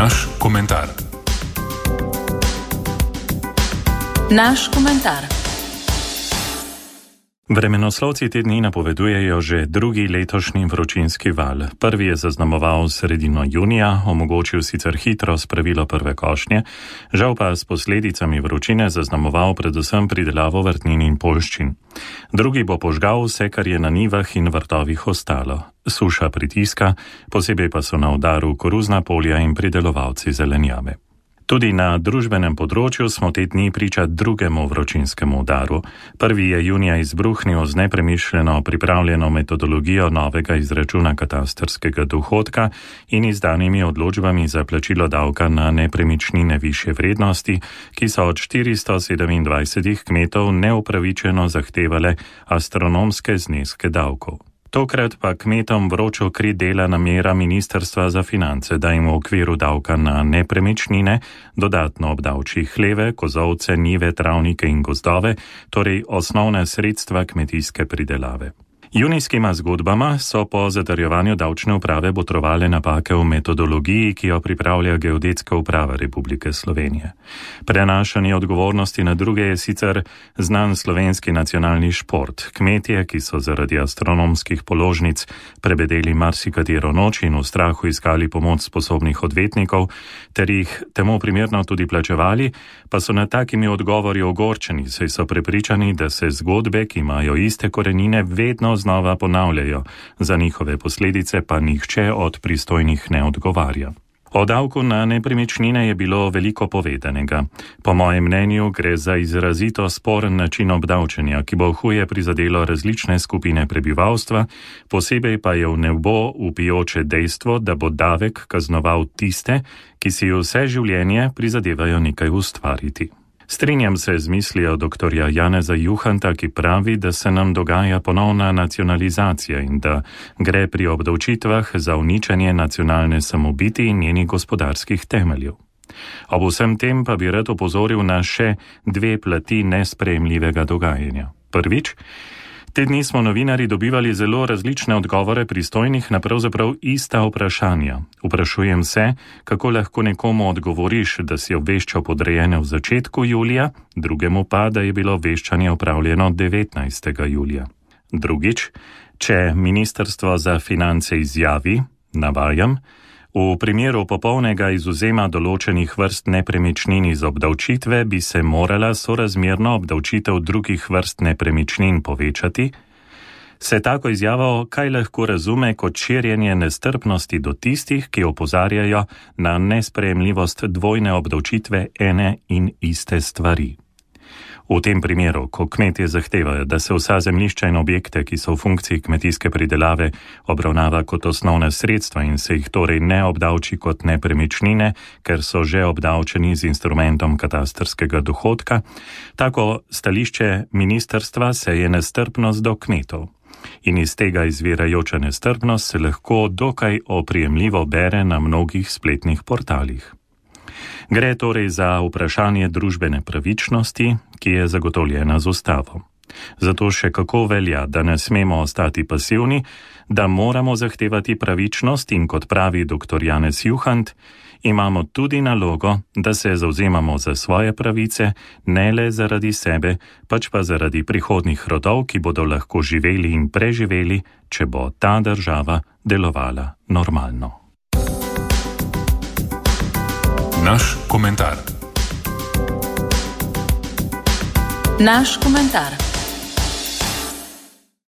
Naš komentar. Naš komentar. Vremenoslovci te dni napovedujejo že drugi letošnji vročinski val. Prvi je zaznamoval sredino junija, omogočil sicer hitro spravilo prve košnje, žal pa s posledicami vročine zaznamoval predvsem pridelavo vrtnin in poljščin. Drugi bo požgal vse, kar je na nivah in vrtovih ostalo. Suša pritiska, posebej pa so na udaru koruzna polja in pridelovalci zelenjave. Tudi na družbenem področju smo te dni priča drugemu vročinskemu udaru. Prvi je junija izbruhnil z nepremišljeno pripravljeno metodologijo novega izračuna katastrskega dohodka in izdanimi odločbami za plačilo davka na nepremičnine višje vrednosti, ki so od 427 kmetov neupravičeno zahtevale astronomske zneske davkov. Tokrat pa kmetom vročo kri dela namera Ministrstva za finance, da jim v okviru davka na nepremičnine dodatno obdavči hleve, kozolce, njive, travnike in gozdove, torej osnovne sredstva kmetijske pridelave. Junijskima zgodbama so po zatrjevanju davčne uprave botrovale napake v metodologiji, ki jo pripravlja Geodetska uprava Republike Slovenije. Prenašanje odgovornosti na druge je sicer znan slovenski nacionalni šport. Kmetje, ki so zaradi astronomskih položnic prebedeli marsikatero noč in v strahu iskali pomoč sposobnih odvetnikov, ter jih temu primerno tudi plačevali, pa so nad takimi odgovori ogorčeni, saj so prepričani, da se zgodbe, ki imajo iste korenine, vedno znova ponavljajo, za njihove posledice pa nihče od pristojnih ne odgovarja. O davku na nepremičnine je bilo veliko povedanega. Po mojem mnenju gre za izrazito sporen način obdavčenja, ki bo huje prizadelo različne skupine prebivalstva, posebej pa je v nebo vpijoče dejstvo, da bo davek kaznoval tiste, ki si vse življenje prizadevajo nekaj ustvariti. Strinjam se z mislijo dr. Janeza Juhanta, ki pravi, da se nam dogaja ponovna nacionalizacija in da gre pri obdavčitvah za uničenje nacionalne samobiti in njenih gospodarskih temeljev. Ob vsem tem pa bi rad opozoril na še dve plati nesprejemljivega dogajanja. Prvič, te dni smo novinarji dobivali zelo različne odgovore pristojnih na pravzaprav ista vprašanja. Vprašujem se, kako lahko nekomu odgovoriš, da si obveščal podrejene v začetku julija, drugemu pa, da je bilo obveščanje opravljeno 19. julija. Drugič, če Ministrstvo za finance izjavi, navajam, v primeru popolnega izvzema določenih vrst nepremičnin iz obdavčitve bi se morala sorazmerno obdavčitev drugih vrst nepremičnin povečati, se tako izjavo kaj lahko razume kot širjenje nestrpnosti do tistih, ki opozarjajo na nesprejemljivost dvojne obdavčitve ene in iste stvari. V tem primeru, ko kmetje zahtevajo, da se vsa zemljišča in objekte, ki so v funkciji kmetijske pridelave, obravnava kot osnovne sredstva in se jih torej ne obdavči kot nepremičnine, ker so že obdavčeni z instrumentom katastrskega dohodka, tako stališče ministrstva se je nestrpnost do kmetov. In iz tega izvirajoča nestrpnost se lahko dokaj oprijemljivo bere na mnogih spletnih portalih. Gre torej za vprašanje družbene pravičnosti, ki je zagotovljena z ustavo. Zato še kako velja, da ne smemo ostati pasivni, da moramo zahtevati pravičnost in kot pravi dr. Janez Juhant, imamo tudi nalogo, da se zavzemamo za svoje pravice, ne le zaradi sebe, pač pa zaradi prihodnjih rodov, ki bodo lahko živeli in preživeli, če bo ta država delovala normalno. Naš komentar. Naš komentar.